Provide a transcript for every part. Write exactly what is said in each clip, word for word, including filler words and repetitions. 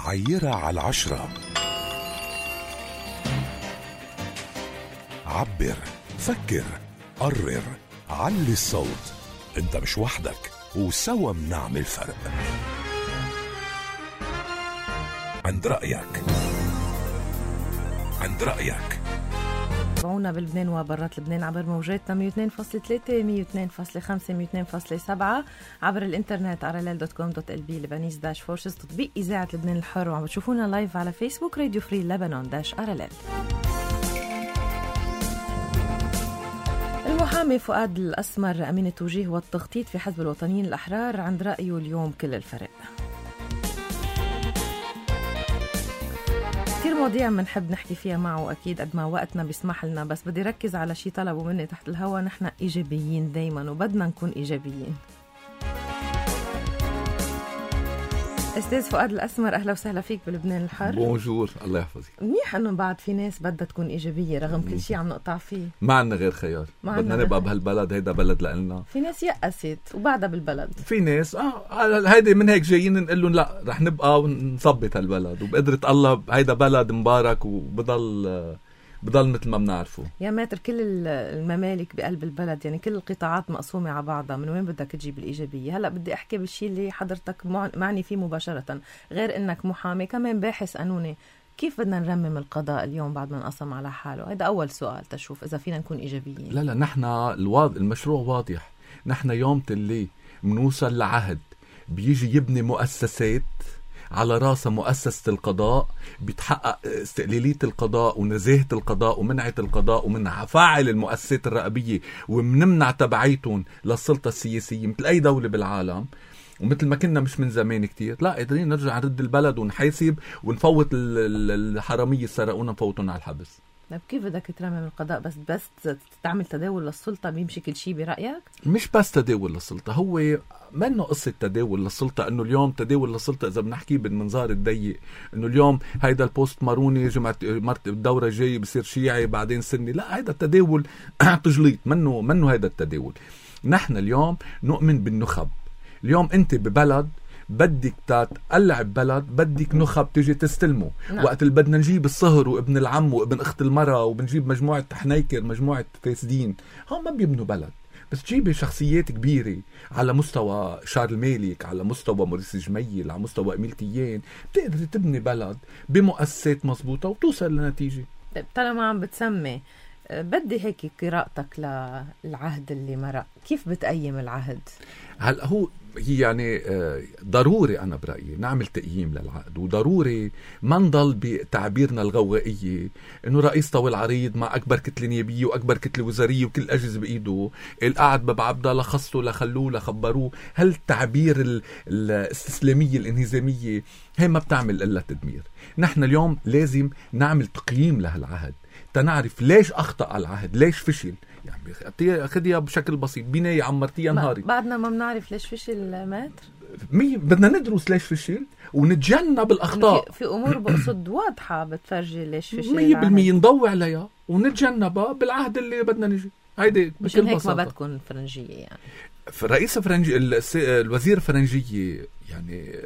عيرة على العشرة. عبر، فكر، قرر، علي الصوت. انت مش وحدك، وسوا منعمل فرق. عند رأيك، عند رأيك. تابعونا بلبنان وبرات لبنان عبر موجاتنا مية واثنين فاصلة ثلاثة مية واثنين فاصلة خمسة مية واثنين فاصلة سبعة، عبر الانترنت ارلل دوت كوم دوت ال بي لبنانيز داش فورسز، تطبيق إذاعة لبنان الحر، وعم بتشوفونا لايف على فيسبوك راديو فري لبنان داش ارلل. المحامي فؤاد الأسمر أمين التوجيه والتخطيط في حزب الوطنيين الأحرار عند رأيه اليوم كل الفرق. كتير مواضيع منحب نحكي فيها معه أكيد قد ما وقتنا بيسمح لنا، بس بدي ركز على شي طلبوا مني تحت الهوا. نحن إيجابيين دايما وبدنا نكون إيجابيين. أستاذ فؤاد الأسمر، أهلا وسهلا فيك بلبنان الحر. بونجور، الله يحفظك. منيح أنه بعد في ناس بدها تكون إيجابية رغم كل شيء عم نقطع فيه. ما عنا غير خيار، بدنا نبقى بهالبلد، هيدا بلد لنا. في ناس يأست وبعدها بالبلد، في ناس اه هيدا من هيك جايين نقول لهم لا رح نبقى ونثبت هالبلد، وبقدرة الله هيدا بلد مبارك وبضل بضل مثل ما بنعرفه. يا ماتر كل الممالك بقلب البلد، يعني كل القطاعات مقسومة على بعضها، من وين بدك تجيب الإيجابية؟ هلأ بدي أحكي بالشيء اللي حضرتك معني فيه مباشرة، غير إنك محامي كمان باحث قانوني. كيف بدنا نرمم القضاء اليوم بعد ما انقسم على حاله؟ هذا أول سؤال تشوف إذا فينا نكون إيجابيين. لا لا نحن الواضح المشروع واضح. نحن يوم تلي منوصل لعهد بيجي يبني مؤسسات على راسها مؤسسة القضاء، بيتحقق استقلالية القضاء ونزاهة القضاء ومنعة القضاء، ومنع فاعل المؤسسات الرقابية ومنمنع تبعيتهم للسلطة السياسية مثل أي دولة بالعالم. ومثل ما كنا مش من زمان كتير، لا قادرين نرجع نرد البلد ونحاسب ونفوت الحرامية السرقونا نفوتهم على الحبس. طيب كيف بدك ترمم القضاء؟ بس بس تعمل تداول للسلطة بيمشي كل شيء برأيك؟ مش بس تداول للسلطة، هو منه قصة تداول للسلطة. انه اليوم تداول للسلطة اذا بنحكي بالمنظار الضيق، انه اليوم هيدا البوست ماروني جمعة مرت الدورة الجاية بصير شيعي بعدين سني، لا هيدا التداول تجليط، منه منه هيدا التداول. نحن اليوم نؤمن بالنخب. اليوم انت ببلد بدك تقلع ببلد، بدك نخب تيجي تستلمه. نعم. وقت اللي بدنا نجيب الصهر وابن العم وابن اخت المرأة وبنجيب مجموعة حنيكر مجموعة فاسدين، هم ما بيبنوا بلد. بس تجيبي شخصيات كبيرة على مستوى شارل مالك، على مستوى موريس جميل، على مستوى إميل تيان، بتقدر تبني بلد بمؤسسات مضبوطة وتوصل لنتيجة. طالما عم بتسمي، بدي هيك قراءتك للعهد اللي مرق، كيف بتقيم العهد؟ هل هو يعني ضروري أنا برأيي نعمل تقييم للعقد، وضروري ما نضل بتعبيرنا الغوائية إنه رئيس طويل عريض مع أكبر كتلة نيابية وأكبر كتلة وزارية وكل الأجهزة بإيده، القعد ببعبدا لخصته لخلوه لخبروه. هل التعبير الاستسلامية الانهزامية هي ما بتعمل إلا تدمير. نحن اليوم لازم نعمل تقييم لهالعهد تنعرف ليش أخطأ العهد، ليش فشل. يعني أخذيها بشكل بسيط، بناية عمرتيها نهاري، بعدنا ما بنعرف ليش فشل ماتر. مي بدنا ندرس ليش فشل ونتجنب الأخطاء. في, في أمور بقصد واضحة بتفرجي ليش فشل مية بالمية نضوي عليها ونتجنبها بالعهد اللي بدنا نجي. هيدي مشان هيك ما بتكون فرنجية. يعني رئيس فرنجي الوزير الفرنجية يعني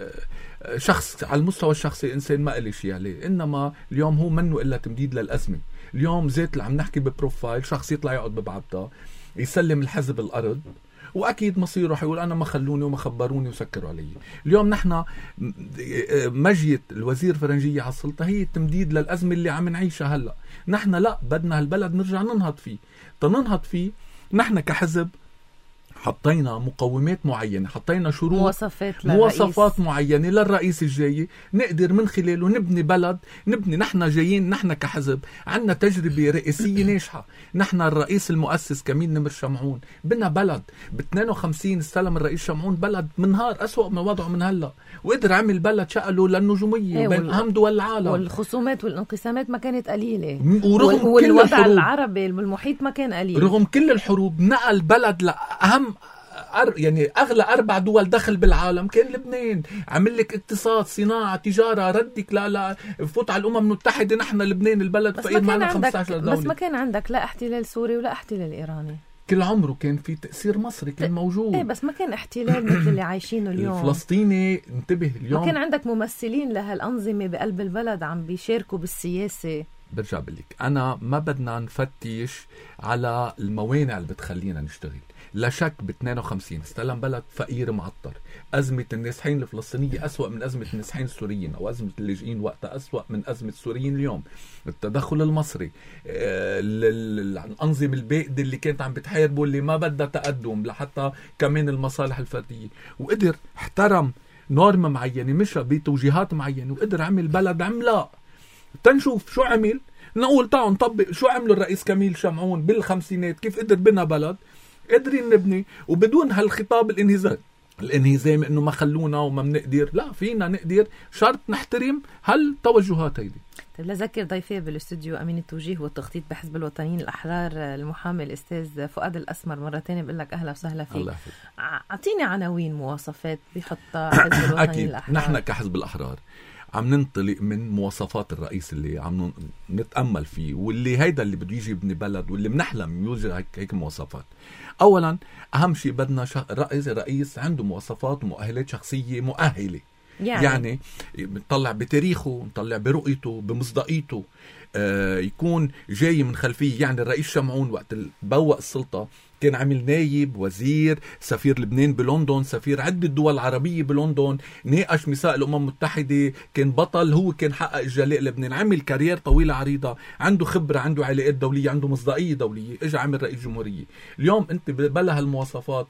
شخص على المستوى الشخصي إنسان ما قلي شيء عليه، إنما اليوم هو منه إلا تمديد للأزمة. اليوم زيت اللي عم نحكي ببروفايل شخص يطلع يقعد ببعبطة يسلم الحزب الأرض، وأكيد مصيره رح يقول أنا ما خلوني وما خبروني وسكروا علي. اليوم نحن مجية الوزير فرنجية على السلطة هي التمديد للأزمة اللي عم نعيشها هلأ. نحن لا بدنا هالبلد نرجع ننهض فيه. تننهض فيه نحن كحزب حطينا مقومات معينة، حطينا شروط مواصفات, مواصفات معينة للرئيس الجاي نقدر من خلاله نبني بلد. نبني نحن جايين، نحن كحزب عنا تجربة رئيسية ناجحة. نحن الرئيس المؤسس كمين نمر شمعون بنا بلد ب اثنين وخمسين استلم الرئيس شمعون بلد منهار أسوأ من وضعه من هلا، وقدر عمل بلد شقله للنجومية ايه بين أهم دول العالم. والخصومات والانقسامات ما كانت قليلة، ورغم والوضع العربي بالمحيط ما كان قليل. رغم كل الحروب نقل بلد لأهم يعني أغلى أربع دول دخل بالعالم كان لبنان. عمل لك اقتصاد، صناعة، تجارة، ردك لا لا فوت على الأمم المتحدة. نحن لبنان البلد فقير معنا خمسة عشر دولة. بس ما كان عندك لا احتلال سوري ولا احتلال إيراني. كل عمره كان في تأثير مصري كان موجود. ايه بس ما كان احتلال مثل اللي عايشينه اليوم. الفلسطيني انتبه اليوم ما كان عندك ممثلين لهالأنظمة بقلب البلد عم بيشاركوا بالسياسة. برجع بقولك أنا ما بدنا نفتش على الموانع اللي بتخلينا نشتغل. لا شك ب اثنين وخمسين استلم بلد فقير معطر. أزمة النازحين الفلسطينية أسوأ من أزمة النازحين السوريين، أو أزمة اللاجئين وقتها أسوأ من أزمة السوريين اليوم. التدخل المصري، الأنظمة البائدة اللي كانت عم بتحاربوا اللي ما بدها تقدم لحتى كمان المصالح الفردية، وقدر احترم نورم معينة مشى بتوجيهات معينة وقدر عمل بلد عملاق. تنشوف شو عمل، نقول تعالوا نطبق شو عملوا الرئيس كميل شمعون بالخمسينات، كيف قدر بنا بلد قادرين نبني وبدون هالخطاب الانهزام الانهزام انه ما خلونا وما بنقدر. لا، فينا نقدر، شرط نحترم هالتوجهات هيدي. طيب لذكر ضيفي بالاستوديو امين التوجيه والتخطيط بحزب الوطنيين الاحرار المحامي الاستاذ فؤاد الاسمر. مره ثانيه بقول لك اهلا وسهلا فيك. اعطيني عناوين مواصفات بيحطها حزب الوطنيين أكيد. الاحرار. نحن كحزب الاحرار عم ننطلق من مواصفات الرئيس اللي عم نتأمل فيه، واللي هيدا اللي بده يجي يبني بلد، واللي بنحلم يوجد هيك, هيك مواصفات. أولا أهم شيء بدنا رئيس رئيس عنده مواصفات ومؤهلات شخصية مؤهلة. يعني, يعني نطلع بتاريخه، نطلع برؤيته، بمصداقيته، آه يكون جاي من خلفيه. يعني الرئيس شمعون وقت بوق السلطة كان عامل نايب، وزير، سفير لبنان بلندن، سفير عدة دول عربية بلندن، ناقش ميثاق الأمم المتحدة، كان بطل، هو كان حقق الجلاء لبنان، عمل كارير طويلة عريضة، عنده خبرة، عنده علاقات دولية، عنده مصداقية دولية، اجى عمل رئيس جمهورية. اليوم انت بلا هالمواصفات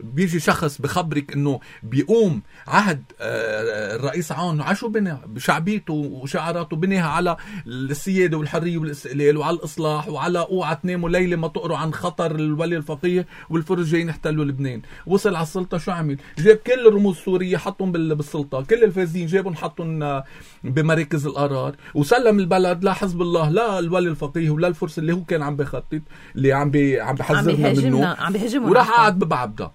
بيجي شخص بخبرك انه بيقوم عهد الرئيس عون عشو بنى بشعبيته وشعاراته، بنيها على السيادة والحرية والاستقلال وعلى الإصلاح وعلى اوعى تناموا ليلة ما تقروا عن خطر الولي الفقيه والفرس جايين يحتلوا لبنان. وصل على السلطة شو عمل؟ جاب كل الرموز السورية حطهم بالسلطة، كل الفاسدين جابهم حطهم بمراكز القرار، وسلم البلد لا حزب الله لا الولي الفقيه ولا الفرس اللي هو كان عم بيخطط اللي عم بي عم بيحذرنا منه، وراح قعد ببعبده.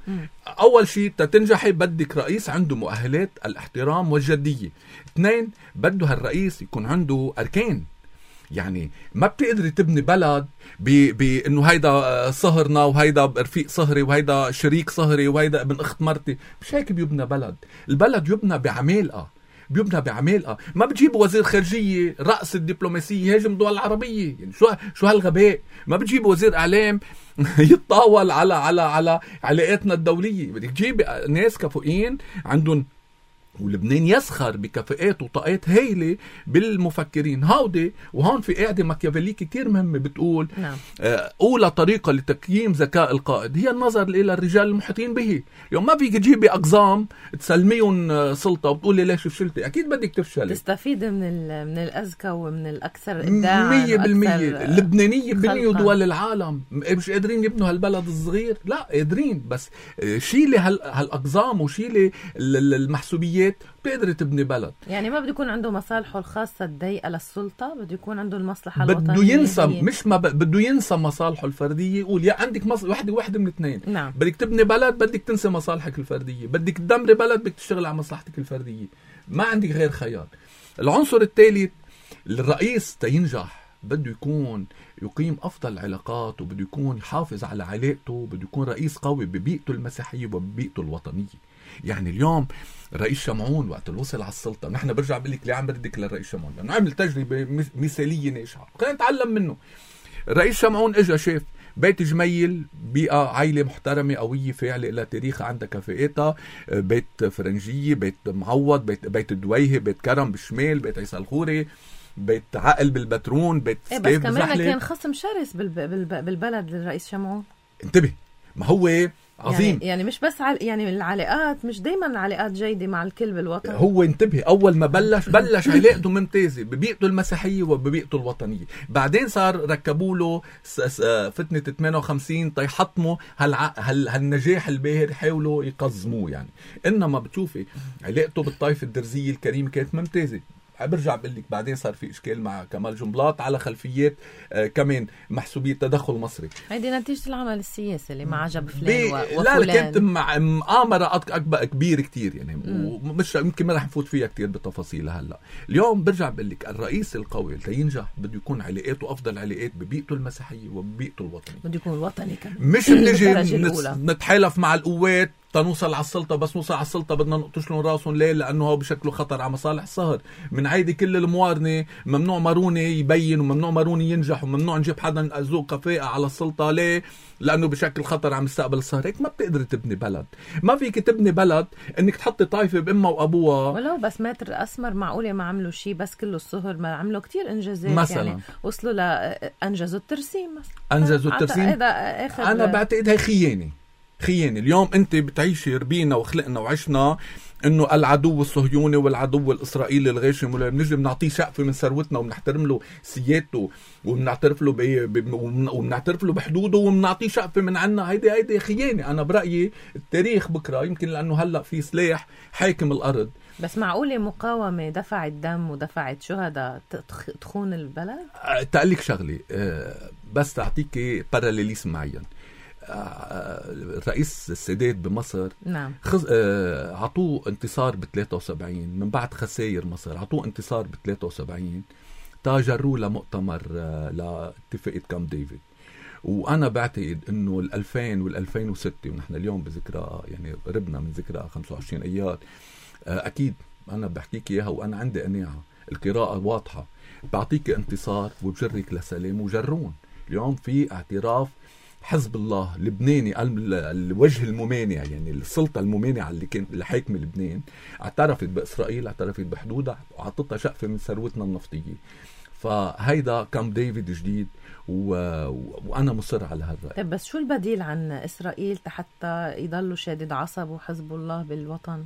أول شيء تتنجحي بدك رئيس عنده مؤهلات الاحترام والجدية. اثنين، بده هالرئيس يكون عنده أركان. يعني ما بتقدري تبني بلد بأنه هيدا صهرنا وهيدا رفيق صهري وهيدا شريك صهري وهيدا ابن أخت مرتي. مش هيك بيبنى بلد. البلد يبنى بعمالقة، بيبنى بعمالقة. ما بتجيب وزير خارجية رأس الدبلوماسية يهاجم الدول العربية. يعني شو شو هالغباء. ما بتجيب وزير إعلام يتطاول على على على علاقاتنا الدولية. بدك تجيب ناس كفؤين عندهم، ولبنان يسخر بكفاءات وطاقات هايلة بالمفكرين هودي. وهون في قاعدة ماكيافيليكي كتير مهمة بتقول نعم. أولى طريقة لتقييم ذكاء القائد هي النظر إلى الرجال المحيطين به. يوم ما فيك تجيبي أقزام تسلميهم سلطة وبتقولي ليش فشلتي، أكيد بدك تفشلي. تستفيد من من الأذكى ومن الأكثر إبداعا. مية بالمية اللبنانية بنيوا دول العالم، مش قادرين يبنوا هالبلد الصغير. لا قادرين، بس شيلي هالأقزام وشيلي المحسوبيات بيقدر تبني بلد. يعني ما بده يكون عنده مصالحه الخاصة الضيقة للسلطة، بده يكون عنده المصلحة الوطنية. بده ينسى مش ما ب... بده ينسى مصالحه الفردية. يقول يا عندك مص... وحدة وحدة من اثنين. نعم. بدك تبني بلد، بدك تنسى مصالحك الفردية، بدك تدمري بلد، بدك تشتغل على مصلحتك الفردية. ما عندك غير خيار. العنصر الثالث، الرئيس تينجح بده يكون يقيم أفضل العلاقات، وبده يكون يحافظ على علاقته، بده يكون رئيس قوي ببيئته المسيحية وببيئته الوطنية. يعني اليوم الرئيس شمعون وقت الوصل على السلطة، نحن برجع بقول لك ليه عم بردك للرئيس شمعون، لأنه عمل تجربة مثالية ناجحة، خلينا نتعلم منه. الرئيس شمعون اجى شاف بيت جميل، بيئة عائلة محترمة قوية فاعلة إلى تاريخها، عندها كفاءتها، بيت فرنجية، بيت معوض، بيت بيت الدويهة، بيت كرم بالشمال، بيت عيسى الخوري، بيت عقل بالبترون، بيت إيه ستيف بس كمان كان خصم شرس بالبلد للرئيس شمعون. انتبه، ما هو عظيم. يعني, يعني مش بس عل... يعني العلاقات مش دايما العلاقات جيدة مع الكل بالوطن. هو انتبه، أول ما بلش بلش علاقته ممتازة ببيئته المسيحية وببيئته الوطنية. بعدين صار ركبوا له فتنة ثمانية وخمسين تيحطموا هالع... هال... هالنجاح الباهر، حاولوا يقزموه يعني. إنما بتشوفي علاقته بالطائفة الدرزية الكريمة كانت ممتازة. برجع بقول لك بعدين صار في اشكال مع كمال جنبلاط على خلفيات آه كمان محسوبيه تدخل مصري. هيدي نتيجه العمل السياسي اللي ما عجب فلان و... وفلان. لا كانت مؤامره اكبر كبير كتير يعني مم. ومش يمكن ما رح نفوت فيها كتير بتفاصيلها هلا. اليوم برجع بقول لك الرئيس القوي لينجح بده يكون علاقاته افضل علاقات ببيئته المسيحيه وببيئته الوطنيه. بده يكون وطني كمان. مش بنجي نتحالف مع القوات تنوصل على السلطة، بس نوصل على السلطة بدنا نقطش لهم راسهم ليه؟ لأنه هو بشكله خطر على مصالح الصهر. من عيدي كل الموارنة ممنوع ماروني يبين وممنوع ماروني ينجح وممنوع نجيب حدا ذو كفاءة على السلطة. ليه؟ لأنه بشكل خطر على مستقبل الصهر. هيك ما بتقدر تبني بلد. ما فيك تبني بلد إنك تحطي طائفة بأمها وأبوها. ولو بس ماتر الأسمر معقولة ما عملوا شيء، بس كله الصهر ما عملوا كتير إنجازات مثلا. يعني وصلوا لأنجزوا الترسيم مثلا. أنجزوا الترسيم. أنا بعتقد هاي خيانة. خيانة. اليوم انت بتعيشي ربينا وخلقنا وعشنا انه العدو الصهيوني والعدو الاسرائيلي الغاشم ولا بنجي بنعطيه شقفه من ثروتنا وبنحترم له سيادته وبنعترف له ب... وبنعترف له بحدوده وبنعطيه شقفه من عنا. هيدي هيدي خيانة. انا برايي التاريخ بكره يمكن لانه هلا في سلاح حاكم الارض. بس معقولة مقاومة دفعت دم ودفعت شهداء تخون البلد؟ تقلك شغلي بس تعطيكي باراليليزم معين. الرئيس السادات بمصر نعم خز... عطوه انتصار ب ثلاثة وسبعين من بعد خسائر مصر. عطوه انتصار ب ثلاثة وسبعين تاجروه لمؤتمر لاتفاقية كامب ديفيد. وانا بعتقد انه الألفين والألفين وستة ونحن اليوم بذكرى يعني قربنا من ذكرى خمسة وعشرين ايار. اكيد انا بحكيك اياها وانا عندي قناعة القراءة واضحة. بعطيك انتصار وبجرك لسلام وجرون. اليوم في اعتراف حزب الله لبناني الوجه الممانع يعني السلطة الممانعة اللي كان اللي حاكمة لبنان اعترفت بإسرائيل، اعترفت بحدودها وعطتها شقفة من ثروتنا النفطية. فهيدا كامب ديفيد جديد و... وأنا مصر على هالرأي. طيب بس شو البديل عن إسرائيل حتى يضلوا شادد عصب وحزب الله بالوطن؟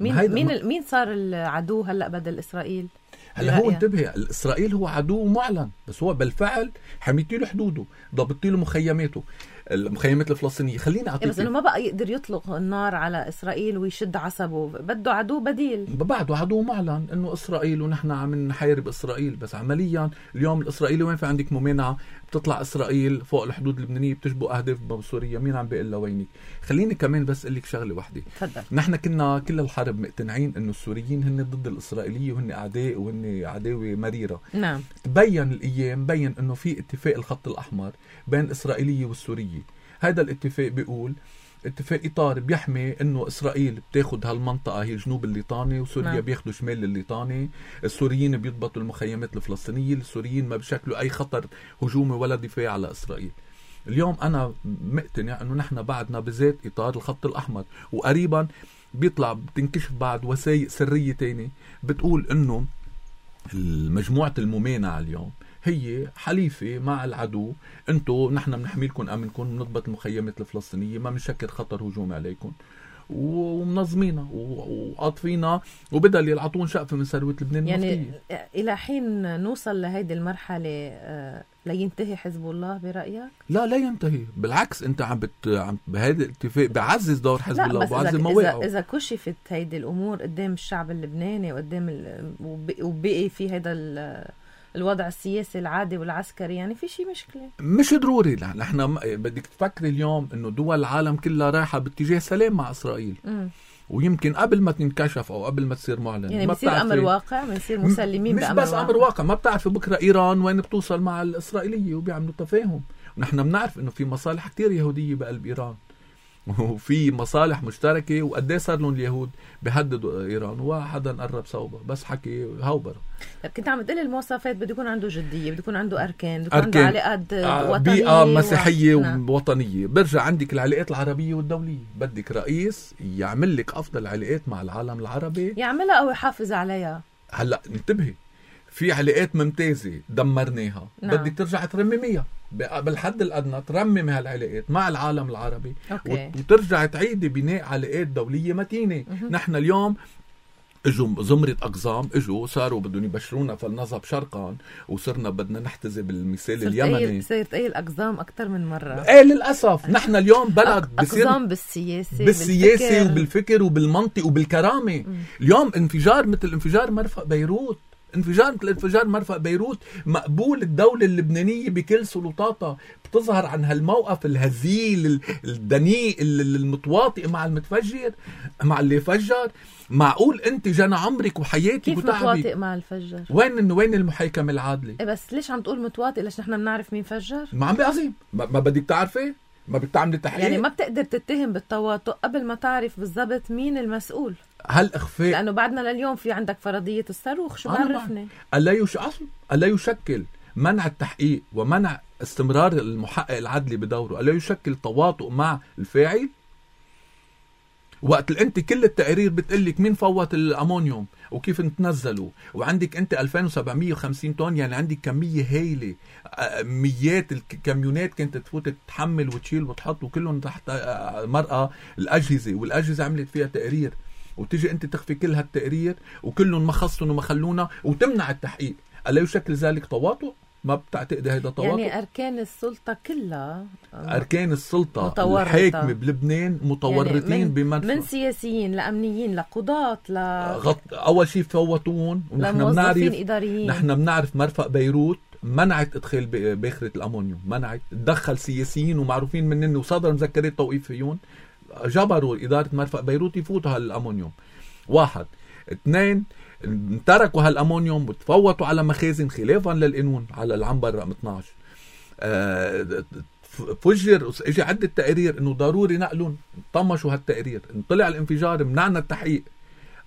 مين مين ما... مين صار العدو هلا بدل إسرائيل؟ هلا هو انتبه إسرائيل هو عدو معلن بس هو بالفعل حميتي له حدوده ضبطي له مخيماته المخيمات الفلسطينية. خليني أعطيك بس إنه ما بقى يقدر يطلق النار على إسرائيل ويشد عصبه. بده عدو بديل. بعده عدو معلن إنه إسرائيل ونحن عم نحارب إسرائيل. بس عمليا اليوم الإسرائيلي وين في عندك ممانعة بتطلع إسرائيل فوق الحدود اللبنانية بتشبه أهداف بسوريا. مين عم بيقول لوينك؟ خليني كمان بس أقول لك شغلة واحدة. تفضل. نحن كنا كل الحرب مقتنعين إنه السوريين هن ضد الإسرائيلية وهن أعداء وهن عداوة مريرة. نعم. تبين الأيام بين إنه في اتفاق الخط الأحمر بين الإسرائيلية والسورية. هذا الاتفاق بيقول اتفاق إطار بيحمي إنه إسرائيل بتاخد هالمنطقة هي جنوب الليطاني وسوريا نعم. بياخدوا شمال الليطاني. السوريين بيضبطوا المخيمات الفلسطينية. السوريين ما بشكلوا أي خطر هجومي ولا دفاع على إسرائيل. اليوم أنا مقتنع إنه نحن بعدنا بذات إطار الخط الأحمر وقريبا بيطلع بتنكشف بعد وثائق سرية تاني بتقول إنه المجموعة الممانعة اليوم هي حليفة مع العدو. انتو نحن بنحميلكم امنكم بنضبط المخيمات الفلسطينية ما بنشكل خطر هجومي عليكم ومنظمينا وقاطفينا وبدل يلعطون شقفة من ثروة لبنان يعني النفطية. إلى حين نوصل لهيدي المرحلة لينتهي حزب الله برأيك؟ لا لا ينتهي بالعكس. انت عم بت عم بهذا الاتفاق بعزز دور حزب الله وبعزز مواقعه. إذا, إذا كشفت هيدي الأمور قدام الشعب اللبناني وقدام ال... وبقي في هذا ال... الوضع السياسي العادي والعسكري يعني في شيء مشكلة. مش ضروري. نحن بدك تفكري اليوم انه دول العالم كلها رايحة باتجاه سلام مع اسرائيل. م. ويمكن قبل ما تنكشف او قبل ما تصير معلن يعني بصير امر واقع بنصير مسلمين مش بامر بس امر واقع. ما بتعرفي بكره ايران وين بتوصل مع الاسرائيلية وبيعملوا تفاهم. ونحن بنعرف انه في مصالح كتير يهودية بقلب ايران وفي مصالح مشتركة وقديه صار لهم اليهود بيهددوا إيران وحدا قرب صوبه بس حكي هاوبر. كنت عم تقول المواصفات بده يكون عنده جدية بده يكون عنده أركان بده يكون عنده علاقات وطنية بيئة مسيحية و... ووطنية. برجع عندك العلاقات العربية والدولية. بدك رئيس يعمل لك أفضل علاقات مع العالم العربي يعملها أو يحافظ عليها. هلأ انتبهي في علاقات ممتازة دمرناها. نعم. بدك ترجع ترمميها بالحد الأدنى. ترمم هالعلاقات مع العالم العربي أوكي. وترجع تعيد بناء علاقات دولية متينة. مه. نحن اليوم اجوا زمرة أقزام اجوا صاروا بدهم يبشرونا فلنذهب شرقا وصرنا بدنا نحتذي بالمثال اليمني. صرت أي الأقزام أكتر من مرة. ايه للأسف. نحن اليوم بلد أقزام بالسياسة بالسياسة بالفكر. وبالفكر وبالمنطق وبالكرامة. م. اليوم انفجار مثل انفجار مرفأ بيروت انفجار مثل انفجار مرفأ بيروت مقبول. الدولة اللبنانية بكل سلطاتها بتظهر عن هالموقف الهزيل الدنيء المتواطئ مع المتفجر مع اللي فجر. معقول انت جنى عمرك وحياتك كيف متواطئ مع الفجر؟ وين وين المحاكمة العادلة؟ إيه بس ليش عم تقول متواطئ؟ ليش نحن بنعرف مين فجر؟ ما عم بقصي ما, ما بدك تعرفي؟ ما بدك تعملي تحقيق؟ يعني ما بتقدر تتهم بالتواطؤ قبل ما تعرف بالضبط مين المسؤول. هل اخفاء؟ لانه بعدنا لليوم في عندك فرضية الصاروخ. شو بعرفني؟ الا يش اصل الا يشكل منع التحقيق ومنع استمرار المحقق العدلي بدوره الا يشكل تواطؤ مع الفاعل؟ وقت انت كل التقارير بتقلك مين فوت الامونيوم وكيف نتنزلوا، وعندك انت ألفين وسبعمية وخمسين طن، يعني عندك كميه هائله، ميات الكاميونات كانت تفوت تحمل وتشيل وتحط وكلهم تحت مرأة الاجهزه، والاجهزه عملت فيها تقارير، وتيجي انت تخفي كل هالتقارير وكلهم ما خصهم وما خلونا وتمنع التحقيق. الا يشكل ذلك تواطؤ؟ ما بتعتقدي هيدا تواطؤ؟ يعني أركان السلطة كلها أركان السلطة متورطة. الحاكمة بلبنان متورطين يعني من, بمنفى من سياسيين لأمنيين لقضاة ل... غط... أول شيء فوتون، ونحن بنعرف إداريين. نحن بنعرف مرفأ بيروت منعت إدخال باخرة الأمونيوم، منعت تدخل سياسيين ومعروفين منن وصدر مذكرات توقيف فيهم، جبروا إدارة مرفأ بيروت يفوتوا هالأمونيوم. واحد اثنين تركوا هالأمونيوم وتفوتوا على مخازن خلافا للقانون على العنبر رقم اثناشر. أه فجر اجى عدة تقارير انه ضروري نقلهم، طمشوا هالتقارير، طلع الانفجار، منعنا التحقيق.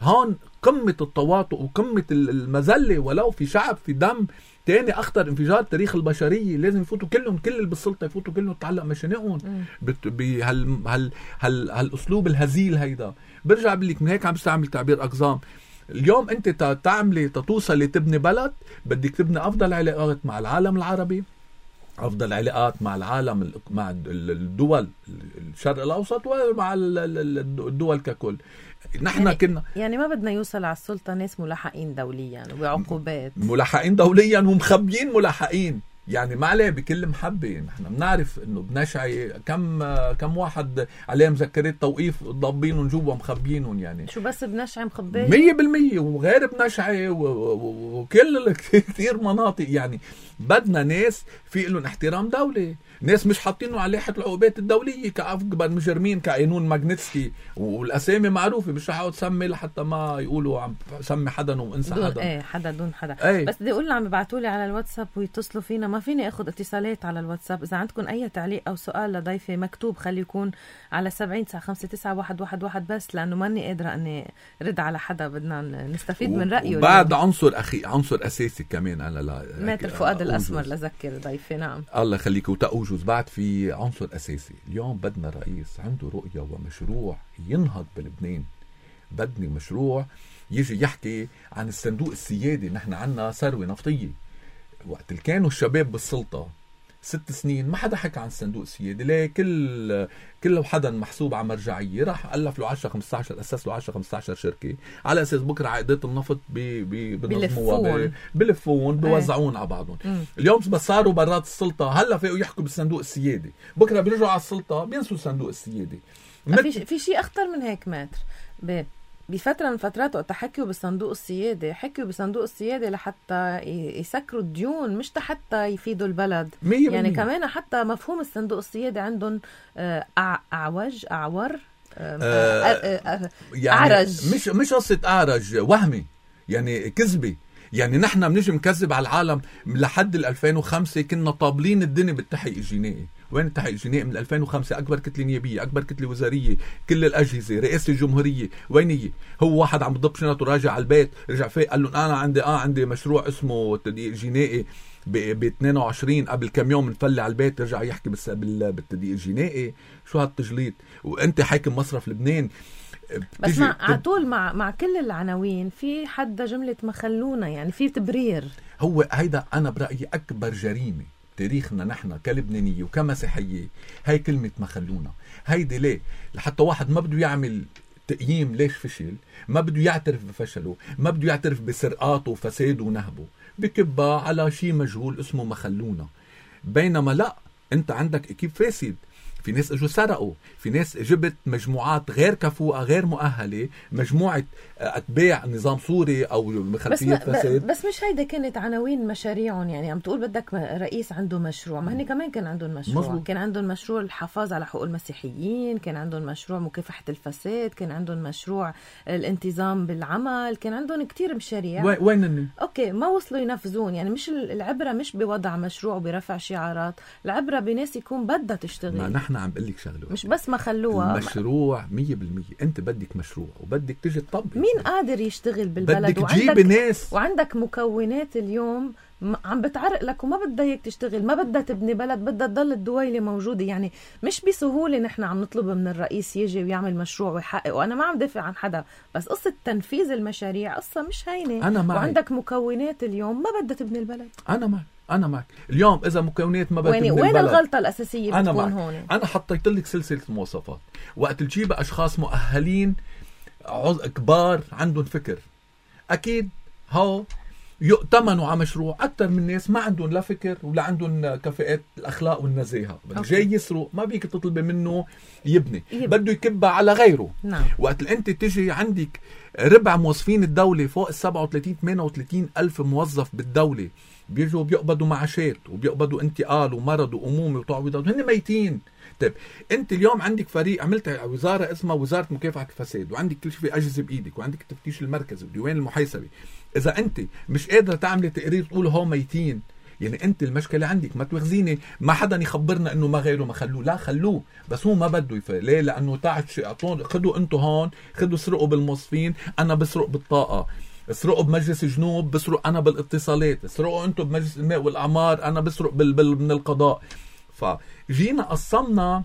هون قمة التواطؤ وقمة المذلة، ولو في شعب في دم تاني اخطر انفجار تاريخ البشرية، لازم يفوتوا كلهم، كل اللي بالسلطة يفوتوا كلهم تعلق مشانقهم بهال هال هال هالاسلوب الهزيل هيدا. برجع بقول لك من هيك عم بستعمل تعبير اقزام. اليوم انت تعملي تتوصلي تبني بلد، بدك تبني افضل علاقات مع العالم العربي، افضل علاقات مع العالم، مع الدول الشرق الاوسط ومع الدول ككل. نحن يعني كنا يعني ما بدنا يوصل على السلطة ناس ملاحقين دوليا وبعقوبات، ملاحقين دوليا ومخبيين ملاحقين. يعني ما عليه بكل محبة، نحن بنعرف انه بنشعي كم كم واحد عليه مذكرات توقيف ضابينهم جوا مخبيينهم. يعني شو بس بنشعي مخبيين مية بالمية وغير بنشعي وكل كثير مناطق. يعني بدنا ناس في لهم احترام دولي، ناس مش حاطينه على لائحة العقوبات الدولية كأكبر مجرمين كقانون ماغنيتسكي، والأسامي معروفة، مش رح تسمي لحتى ما يقولوا عم سمي حدا وانسى حدا. ايه حدا دون حدا. ايه. بس بدي اقول عم يبعتوا لي على الواتساب ويتصلوا فينا، ما فيني اخذ اتصالات على الواتساب. اذا عندكم اي تعليق او سؤال لضيفي مكتوب خلي يكون على سبعين تسعة خمسة تسعة واحد واحد واحد بس، لانه ماني قادرة اني رد على حدا، بدنا نستفيد من رأيه. بعد عنصر اخي عنصر اساسي كمان انا لا ماتر فؤاد الاسمر لذكر ضيفي. نعم الله يخليك وتأوجز. بعد في عنصر أساسي، اليوم بدنا رئيس عنده رؤية ومشروع ينهض بلبنان. بدنا مشروع يجي يحكي عن الصندوق السيادي. نحن عنا ثروة نفطية، وقت اللي كانوا الشباب بالسلطة ست سنين ما حدا حكى عن الصندوق السيادي. ليه؟ كل كل حدا محسوب على مرجعية، راح ألف له عشرة خمسة عشر أسس له عشرة خمسة عشر شركة على أساس بكرة عقدات النفط بنظموها بلفون بوزعون على بعضهم. م. اليوم بس صاروا برات السلطة هلا فيقوا يحكوا بالصندوق السيادي، بكرة بيرجعوا على السلطة بينسوا الصندوق السيادي. في في شيء أخطر من هيك ماتر. ب بفترة من فترات وقت حكيوا بالصندوق السيادي، حكيوا بالصندوق السيادي لحتى يسكروا الديون، مش حتى يفيدوا البلد. مية يعني كمان حتى مفهوم الصندوق السيادي عندهم أعوج أعور آه يعني أعرج، مش مش قصة أعرج، وهمي يعني كذبة. يعني نحن بنجي مكذب على العالم. لحد ألفين وخمسة كنا طابلين الدنيا بالتحقيق الجنائي. وين التحقيق الجنائي؟ من ألفين وخمسة أكبر كتلة نيابية، أكبر كتلة وزارية، كل الأجهزة، رئاسة الجمهورية، وينية؟ هو واحد عم بضب شنطه راجع على البيت، رجع فيه قال لهم أنا عندي آه عندي مشروع اسمه التدقيق الجنائي ب اثنين وعشرين، قبل كم يوم نفلي على البيت رجع يحكي بالتدقيق الجنائي. شو هالتجليط؟ وأنت حاكم مصرف لبنان. بس مع عطول مع مع كل العناوين في حدا جملة مخلونا، يعني في تبرير. هو هيدا أنا برأيي أكبر جريمة تاريخنا نحن كلبنانية وكمسيحية، هاي كلمة مخلونا. هيدي ليه؟ لحتى واحد ما بده يعمل تقييم ليش فشل، ما بده يعترف بفشله، ما بده يعترف بسرقاته وفساده ونهبه، بكبها على شيء مجهول اسمه مخلونا. بينما لا، انت عندك اكيب فاسد، في ناس اجوا سرقوا، في ناس جبت مجموعات غير كفوءة غير مؤهلة، مجموعة أتباع نظام سوري أو خلفية فساد. بس مش هيدا كانت عناوين مشاريعهم، يعني عم تقول بدك رئيس عنده مشروع، ما هني كمان كان عندهم مشروع. مزبوط. كان عندهم مشروع الحفاظ على حقوق المسيحيين، كان عندهم مشروع مكافحة الفساد، كان عندهم مشروع الانتظام بالعمل، كان عندهم كتير مشاريع. وين الني؟ أوكي ما وصلوا ينفذون. يعني مش العبرة مش بوضع مشروع وبرفع شعارات، العبرة بناس يكون بدها تشتغل. ما نحن عم بقلك شغله، مش بس ما خلوها المشروع مية بالمية. انت بدك مشروع وبدك تجي تطبق. مين قادر يشتغل بالبلد؟ بدك تجيب ناس، وعندك مكونات اليوم عم بتعرق لك وما بدها اياك تشتغل، ما بدها تبني بلد، بدها تضل الدويلة موجودة. يعني مش بسهولة نحن عم نطلب من الرئيس يجي ويعمل مشروع ويحقق. وانا ما عم دافع عن حدا، بس قصة تنفيذ المشاريع قصة مش هينة. أنا معي. وعندك مكونات اليوم ما بدها تبني البلد. انا معك أنا معك. اليوم إذا مكونات ما بدها تبني البلد، وين الغلطة الأساسية أنا بتكون معك. هون؟ أنا حطيت لك سلسلة مواصفات. وقت تجيب أشخاص مؤهلين كبار عندهم فكر، أكيد هاو يؤتمنوا على مشروع أكتر من ناس ما عندهم لا فكر ولا عندهم كفاءات الأخلاق والنزاهة. جاي يسرق ما بيك تطلب منه يبني, يبني. بده يكبها على غيره. نعم. وقت أنت تجي عندك ربع موظفين الدولة فوق السبعة وثلاثين ثمانية وثلاثين ألف موظف بالدولة بيجوا بيقبضوا معاشات وبيقبضوا انتقال ومرض وأمومة وتعويضات وهن ميتين. طيب انت اليوم عندك فريق، عملت وزاره اسمها وزاره مكافحه الفساد، وعندك كل شيء في اجهزه بايدك، وعندك التفتيش المركزي وديوان المحاسبه. اذا انت مش قادره تعملي تقرير تقول هو ميتين، يعني انت المشكله عندك. ما تواخذيني ما حدا يخبرنا انه ما غيره ما خلوه، لا خلوه، بس هو ما بده يفعل. ليه؟ لانه تاعت شيء اعطون، خذوا انتم هون، خذوا سرقوا بالموظفين، انا بسرق بالطاقه، اسرقوا بمجلس جنوب، بسرق انا بالاتصالات، اسرقوا انتم بمجلس الماء والاعمار، انا بسرق بال... بال... من القضاء. فجينا قصمنا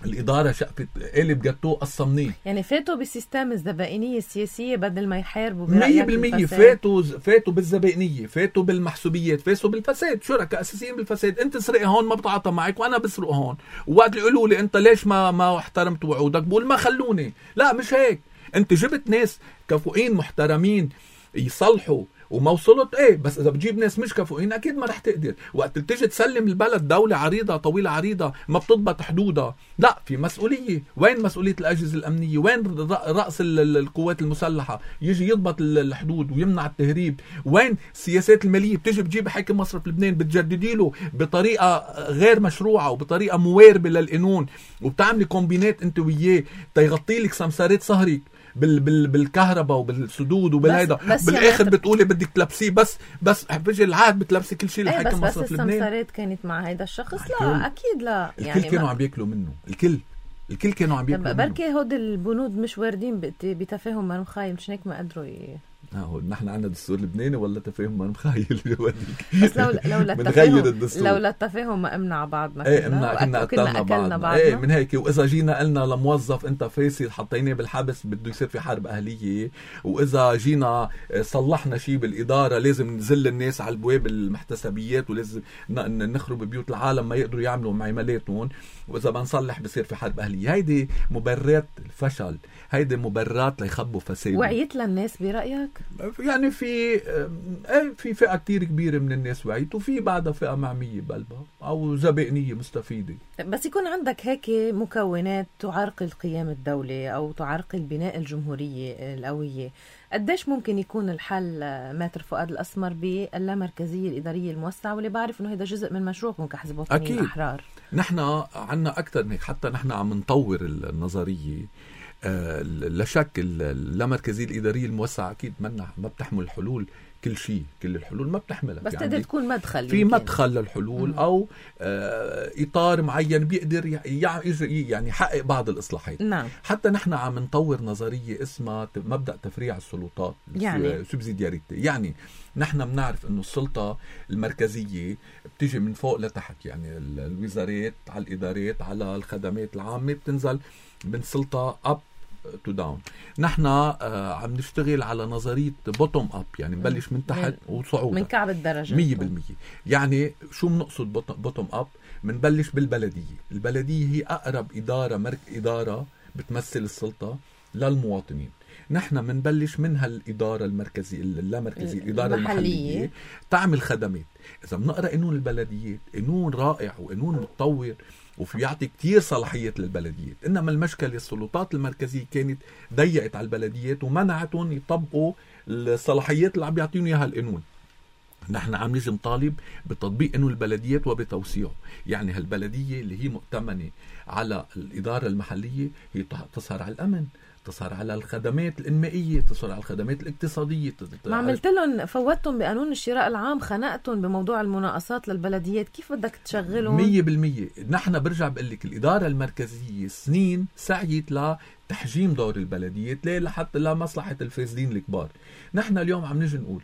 الإدارة شقفة قالب جاتوه قصمنيه. يعني فاتوا بالسيستم الزبائنية السياسية بدل ما يحاربوا مية بالمية. فاتوا فاتوا بالزبائنية، فاتوا بالمحسوبيات، فاتوا بالفساد. شركاء أساسيين بالفساد. أنت سرق هون ما بتعاطى معك وأنا بسرق هون، ووقت اللي يقولوا لي أنت ليش ما ما احترمت وعودك بقول ما خلوني. لا مش هيك. أنت جبت ناس كفؤين محترمين يصلحوا وما وصلت ايه، بس اذا بتجيب ناس مش كفؤين اكيد ما رح تقدر. وقت تيجي تسلم البلد دولة عريضة طويلة عريضة ما بتضبط حدودها، لا في مسؤولية. وين مسؤولية الأجهزة الأمنية؟ وين رأس القوات المسلحة يجي يضبط الحدود ويمنع التهريب؟ وين السياسات المالية؟ بتيجي بتجيب حاكم مصرف لبنان بتجددي له بطريقة غير مشروعة وبطريقة مواربة للقانون، وبتعملي كومبينات انت وياه تيغطي لك سمسارات صهرك بال بال بالكهرباء وبالسدود وبالهيدا. بالاخر بتقولي بدك تلبسيه، بس بس بيجي العهد بتلبسي كل شيء لحكم مصرف لبنان. بس السمسارات كانت مع هيدا الشخص؟ لا اكيد لا. الكل يعني كانوا عم بياكلوا منه، الكل الكل كانوا عم بياكلوا منه. بركي هود البنود مش واردين بتفاهم ما مخايل، مش هيك ما قدروا ي... اه نحن عندنا دستور لبناني ولا تفاهم ما مخايل. بس لو لو التفاهم لو التفاهم ما امنع بعض ما ايه امنع كنا قتلنا بعض. ايه من هيك. واذا جينا قلنا لموظف انت فاسد حطيناه بالحبس بده يصير في حرب اهليه، واذا جينا صلحنا شيء بالاداره لازم ننزل الناس على البواب المحتسبيات ولازم نخرب بيوت العالم ما يقدروا يعملوا معاملاتهم، واذا بنصلح بصير في حرب اهليه. هيدي مبررات الفشل، هيدي مبررات ليخبوا فساد. وعيت للناس برايك؟ يعني في في فئة كتير كبيرة من الناس وعيت، وفي بعدها فئة معمية بقلبها أو زبائنية مستفيدة. بس يكون عندك هيك مكونات تعرقل قيام الدولة أو تعرقل بناء الجمهورية القوية، قديش ممكن يكون الحل ماتر فؤاد الأسمر باللامركزية الإدارية الموسعة، واللي بعرف إنه هذا جزء من مشروعكم كحزب وطني الأحرار؟ نحن عنا أكتر من هيك، حتى نحن عم نطور النظرية. آه لا شك اللامركزية الإدارية الموسعة أكيد منا ما بتحمل الحلول كل شيء، كل الحلول ما بتحملها، بس يعني تقدر تكون مدخل، في يمكن. مدخل للحلول مم. أو آه إطار معين بيقدر يعني يحقق بعض الإصلاحات. نعم. حتى نحن عم نطور نظرية اسمها مبدأ تفريع السلطات، يعني سوبسيدياريتي. يعني نحن بنعرف إنه السلطة المركزية بتيجي من فوق لتحت، يعني الوزارات على الإدارات على الخدمات العامة بتنزل من سلطة أب تو داون. نحن آه عم نشتغل على نظرية بوتوم أب، يعني نبلش من تحت وصعود من كعب الدرجة مية بالمية. يعني شو بنقصد بوتوم أب؟ منبلش بالبلدية. البلدية هي أقرب إدارة مرك إدارة بتمثل السلطة للمواطنين. نحن منبلش من هالإدارة المركزية اللامركزية الإدارة المحلية, المحلية تعمل خدمات. إذا بنقرأ قانون البلديات قانون رائع وقانون متطور وفي يعطي كتير صلاحيات للبلديات، إنما المشكلة السلطات المركزية كانت ضيقت على البلديات ومنعتهم يطبقوا الصلاحيات اللي عم يعطيهم إياها القانون. نحن عم نيجي نطالب بتطبيق قانون البلديات وبتوسيعه. يعني هالبلدية اللي هي مؤتمنة على الإدارة المحلية هي تسهر على الأمن، تسهر على الخدمات الإنمائية، تسهر على الخدمات الاقتصادية. ما عملت لهم فوتهم بقانون الشراء العام، خنقتهم بموضوع المناقصات للبلديات، كيف بدك تشغلهم؟ مية بالمية. نحن برجع بقلك الإدارة المركزية سنين سعيت لتحجيم دور البلديات ليه؟ لحتى لا مصلحة الفاسدين الكبار. نحن اليوم عم نجي نقول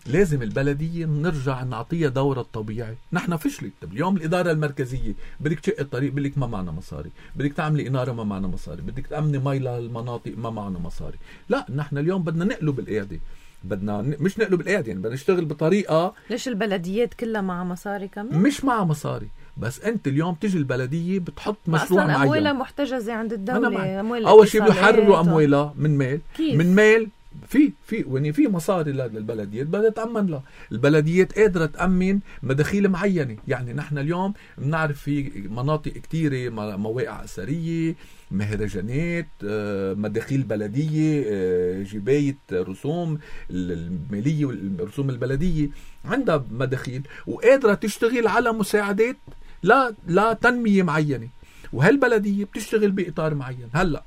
لازم البلدية نرجع نعطيها دورها الطبيعي. نحن فشلت. طب اليوم الإدارة المركزية بدك تشق الطريق بلك ما معنا مصاري، بدك تعملي إنارة ما معنا مصاري، بدك تأمني مي للمناطق ما معنا مصاري. لا، نحن اليوم بدنا نقلب القيادة، بدنا مش نقلب القيادة، يعني بدنا نشتغل بطريقة. ليش البلديات كلها مع مصاري كمان؟ مش مع مصاري، بس انت اليوم تيجي البلدية بتحط مشروع معين، أموالها محتجزة عند الدولة. أول شيء بيحرروا أموالها من مال. كيف؟ من مال في في يعني في مصاري للبلديات بدها تأمن لها. البلديات قادرة تأمن مداخيل معينة. يعني نحن اليوم بنعرف في مناطق كتيرة مواقع أثرية، مهرجانات، مداخيل بلدية، جباية رسوم المالية والرسوم البلدية عندها مداخيل وقادرة تشتغل على مساعدات لا لا تنمية معينة، وهالبلدية بتشتغل بإطار معين. هلأ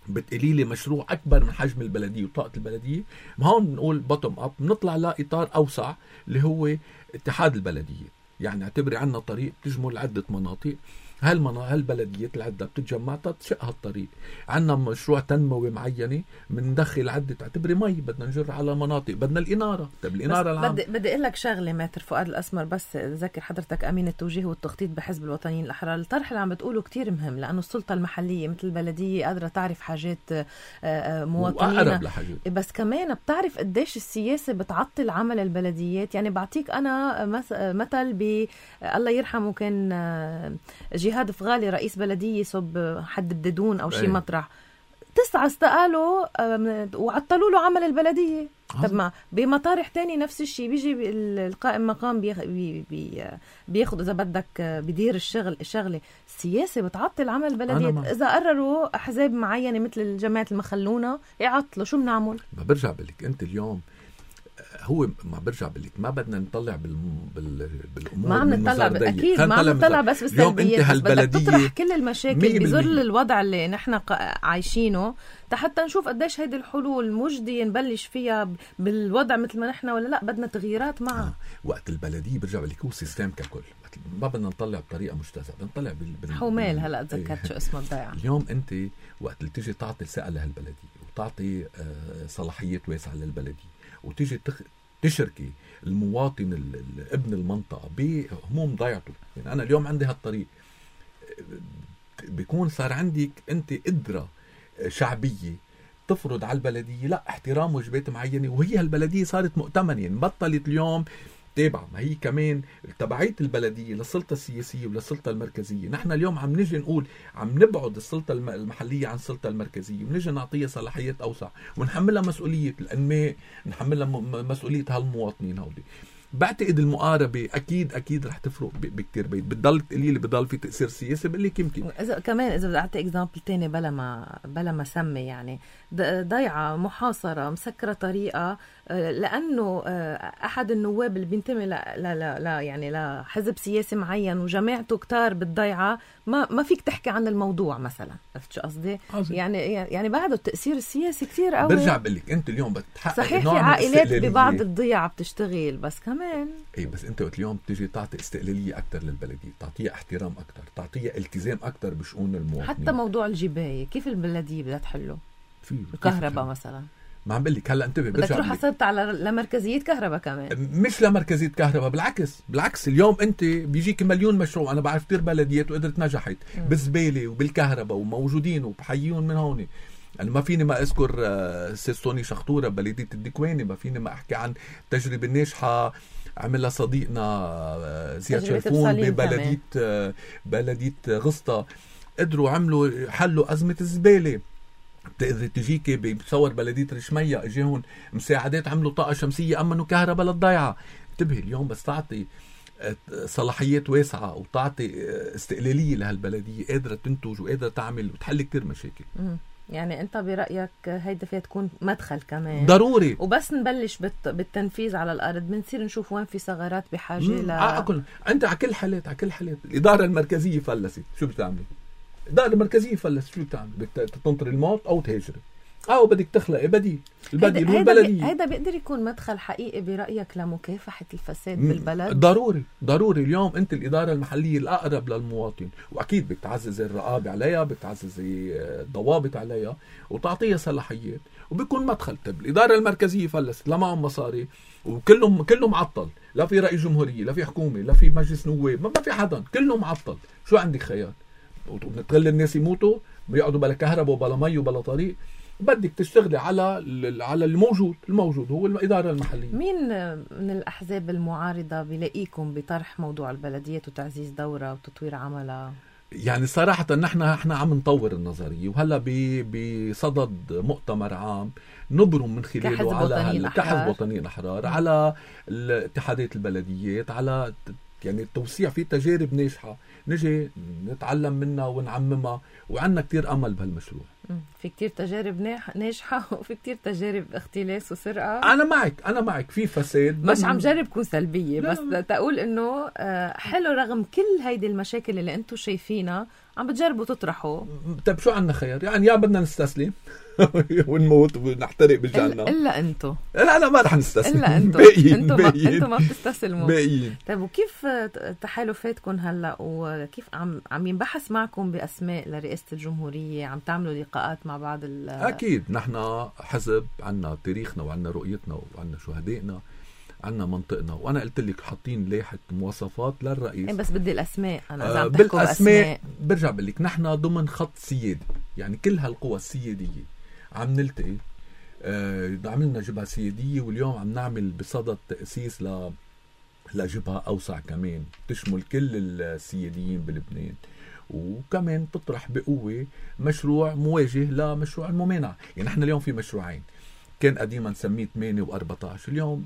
بتقولي لي مشروع أكبر من حجم البلدية وطاقة البلدية، ما هون بنقول بوتوم أب، بنطلع لإطار أوسع اللي هو اتحاد البلدية. يعني اعتبري عنا طريق بتجمل عدة مناطق، هالبلديات العدة بتتجمع تشق هالطريق. عنا مشروع تنموي معينة بندخل عدة، اعتبري مي بدنا نجر على مناطق، بدنا الإنارة. طب الإنارة العام بدي بدي أقول لك شغلة ماتر فؤاد الأسمر، بس ذكر حضرتك أمين التوجيه والتخطيط بحزب الوطنيين الأحرار. الطرح اللي عم بتقوله كتير مهم، لأنه السلطة المحلية مثل البلدية قادرة تعرف حاجات مواطنين، بس كمان بتعرف قديش السياسة بتعطل عمل البلديات. يعني بعطيك أنا مثل ب الله يرحمه، كان جهاد فغالي رئيس بلدية صب حد بددون أو شي مطرح، تسعة استقالوا وعطلوا له عمل البلدية. طب ما بمطارح تاني نفس الشيء، بيجي القائم مقام بي بي بياخد إذا بدك بدير الشغل الشغلة. السياسة بتعطل عمل البلدية. إذا قرروا أحزاب معينة مثل الجماعة المخلونة يعطلوا، شو بنعمل؟ ما برجع بلك أنت اليوم هو ما برجع بلك ما بدنا نطلع بال بال بالامور، ما عم نطلع اكيد ما عم نطلع بس بالسلبيات، بس بدك تطرح كل المشاكل بظل الوضع اللي نحن عايشينه حتى نشوف قديش هيدي الحلول مجدي نبلش فيها بالوضع مثل ما نحن ولا لا بدنا تغييرات معها. آه. وقت البلديه برجع بلك هو سيستم ككل، ما بدنا نطلع بطريقه مجتزأه، بدنا نطلع بال, بال... حومال. هلا تذكرت شو اسمه الضيعه. اليوم انت وقت اللي تيجي تعطي ثقه لهالبلديه وتعطي آه صلاحيات واسعه للبلديه وتيجي تخ... تشركي المواطن ال... ابن المنطقه بهموم ضيعته. يعني انا اليوم عندي هالطريق بيكون صار عندك انت قدره شعبيه تفرض على البلديه لا احترام واجبات معينه، وهي هالبلديه صارت مؤتمنه. يعني بطلت اليوم تابعة، ما هي كمان تبعية البلدية للسلطة السياسية وللسلطة المركزية. نحن اليوم عم نجي نقول عم نبعد السلطة المحلية عن السلطة المركزية، ونجي نعطيها صلاحيات أوسع ونحملها مسؤولية الأنماء، نحملها مسؤولية هالمواطنين هودي. بعتقد المقاربة أكيد أكيد رح تفرق بكتير بيت. بتضل تقولي لي بضل في تأثير سياسي، بقول لك يمكن إذا كمان إذا بدي أعطي إكزامبل تاني بلا ما بلا ما سمي، يعني ضيعة محاصرة مسكرة طريقة لأنه أحد النواب اللي بينتمي لا لا لا يعني لحزب سياسي معين وجماعته كتار بالضيعة، ما ما فيك تحكي عن الموضوع مثلا. عرفت شو قصدي؟ يعني يعني بعده التأثير السياسي كتير قوي. برجع بقول لك أنت اليوم بتحقق صحيح في عائلات ببعض الضيعة بتشتغل، بس كمان ايه بس انت وقت اليوم بتيجي تعطي استقلاليه اكثر للبلديه، تعطيها احترام اكثر، تعطيها التزام اكثر بشؤون المواطنين. حتى موضوع الجبايه كيف البلديه بدها تحله؟ في الكهرباء مثلا ما عم بقول لك هلا انتبه بدك تروح حصلت على لمركزيه كهرباء كمان، مش لمركزيه كهرباء، بالعكس بالعكس اليوم انت بيجيك مليون مشروع. انا بعرف كثير بلديات وقدرت نجحت بالزباله وبالكهرباء وموجودين وبحيون من هون. أنا ما فيني ما أذكر سيستوني شخطورة بلدية الدكواني، ما فيني ما أحكي عن تجربة ناجحة عملها صديقنا زياد شرفون ببلدية بلدية غسطة. قدروا عملوا حلوا أزمة الزبالة بتقدر تجيكي بتصور بلدية رشمية اجيهم مساعدات عملوا طاقة شمسية أمنوا كهرباء للضيعة. انتبهي اليوم بس تعطي صلاحيات واسعة وتعطي استقلالية لهالبلدية قادرة تنتج وقادرة تعمل وتحل كتير مشاكل. م. يعني انت برأيك هيدا فيها تكون مدخل كمان ضروري، وبس نبلش بالتنفيذ على الأرض بنصير نشوف وين في ثغرات بحاجة ل ل... انت على كل حالات على كل حالات الإدارة المركزية فلست، شو بتعملي؟ الإدارة المركزية فلست، شو بتعمل؟ بدك تنطر الموت أو تهاجري أو بدك تخلقي بديل. البديل هو البلدية. هيدا بيقدر يكون مدخل حقيقي برأيك لمكافحة الفساد بالبلد؟ ضروري ضروري. اليوم أنت الإدارة المحلية الأقرب للمواطن، وأكيد بتعزز الرقابة عليها، بتعزز الضوابط عليها وتعطيها صلاحيات وبيكون مدخل. طب الإدارة المركزية فلست، لا معهم مصاري وكلهم كله معطل، لا في رئيس جمهورية، لا في حكومة، لا في مجلس نواب، ما في حدا، كله معطل. شو عندك خيار؟ وبنتخلي الناس يموتوا بيقعدوا بلا كهرباء وبلا مي وبلا طريق. بدك تشتغلي على على الموجود الموجود هو الإدارة المحلية. مين من الأحزاب المعارضة بلاقيكم بطرح موضوع البلديات وتعزيز دورة وتطوير عملها؟ يعني صراحة نحن احنا عم نطور النظرية وهلا بصدد مؤتمر عام نبرم من خلاله على كحزب وطنيين أحرار على اتحادات البلديات، على يعني التوسيع في تجارب ناجحة نجي نتعلم منها ونعممها، وعندنا كتير أمل بهالمشروع. في كتير تجارب ناجحة وفي كتير تجارب اختلاس وسرقة. أنا معك أنا معك في فساد، مش عم جرب كون سلبية، بس تقول إنه حلو رغم كل هيدي المشاكل اللي أنتو شايفينها عم بتجربوا تطرحوا. طب شو عنا خير؟ يعني يا بدنا نستسلم ونموت ونحترق بالجنة إلا أنتو. لا أنا ما رح نستسلم. إلا أنتو. باقيين أنتو باقيين ما, أنتو ما بتستسلموا. باقيين. طيب وكيف تحالفاتكم هلا وكيف عم عم ينبحث معكم بأسماء لرئاسة الجمهورية؟ عم تعملوا لقاءات مع بعض ال أكيد نحن حزب عنا تاريخنا وعنا رؤيتنا وعنا شهدائنا، عنا منطقنا، وأنا قلت لك حاطين لائحة مواصفات للرئيس. بس بدي الأسماء أنا إذا آه عم تحكوا بالأسماء برجع بقول لك نحن ضمن خط سيادي، يعني كل هالقوى السيادية عم نلتقي. آه عملنا جبهة سيادية واليوم عم نعمل بصدد تأسيس ل لجبهة أوسع كمان تشمل كل السياديين بلبنان، وكمان تطرح بقوة مشروع مواجه لمشروع الممانعة. يعني نحن اليوم في مشروعين، كان قديما نسميه ثمانية وأربعة عشر، اليوم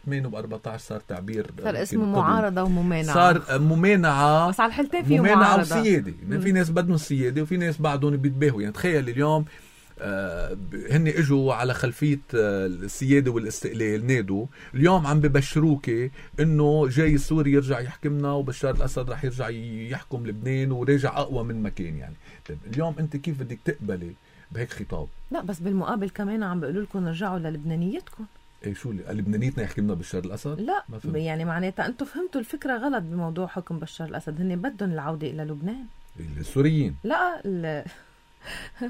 ثمانية وأربعة عشر صار تعبير صار اسمه معارضة وممانعة، صار ممانعة بس على الحلتين فيه ممانعة معارضة وسيادة. يعني في ناس بدهم السيادة وفي ناس بعدهم بيتباهوا. يعني تخيل اليوم آه هن اجوا على خلفية آه السيادة والاستقلال، نادوا اليوم عم ببشروكي انه جاي سوري يرجع يحكمنا وبشار الاسد رح يرجع يحكم لبنان وراجع اقوى من مكان. يعني طيب اليوم انت كيف بدك تقبلي بهيك خطاب؟ لا بس بالمقابل كمان عم بيقولوا لكم رجعوا للبنانيتكم. ايه شو لبنانيتنا يحكمنا بشار الاسد؟ لا يعني معناتها انتم فهمتوا الفكرة غلط بموضوع حكم بشار الاسد. هن بدهم العودة الى لبنان السوريين. لا ال...